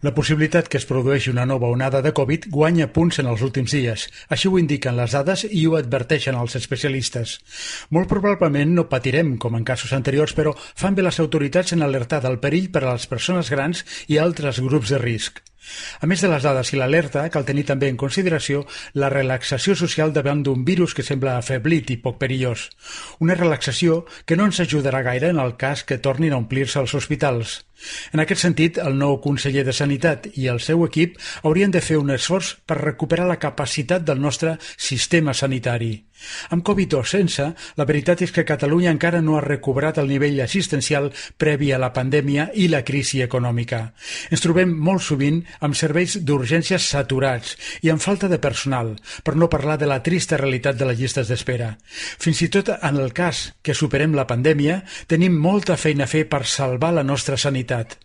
La possibilitat que es produeixi una nova onada de Covid guanya punts en els últims dies. Així ho indiquen les dades i ho adverteixen els especialistes. Molt probablement no patirem com en casos anteriors, però fan bé les autoritats en alertar del perill per a les persones grans i altres grups de risc. A més de les dades i l'alerta, cal tenir també en consideració la relaxació social davant d'un virus que sembla afeblit i poc perillós. Una relaxació que no ens ajudarà gaire en el cas que tornin a omplir-se els hospitals. En aquest sentit, el nou conseller de Sanitat i el seu equip haurien de fer un esforç per recuperar la capacitat del nostre sistema sanitari. Amb Covid o sense, la veritat és que Catalunya encara no ha recuperat el nivell assistencial previ a la pandèmia i la crisi econòmica. Ens trobem molt sovint amb serveis d'urgències saturats i amb falta de personal, per no parlar de la trista realitat de les llistes d'espera. Fins i tot en el cas que superem la pandèmia, tenim molta feina a fer per salvar la nostra sanitat.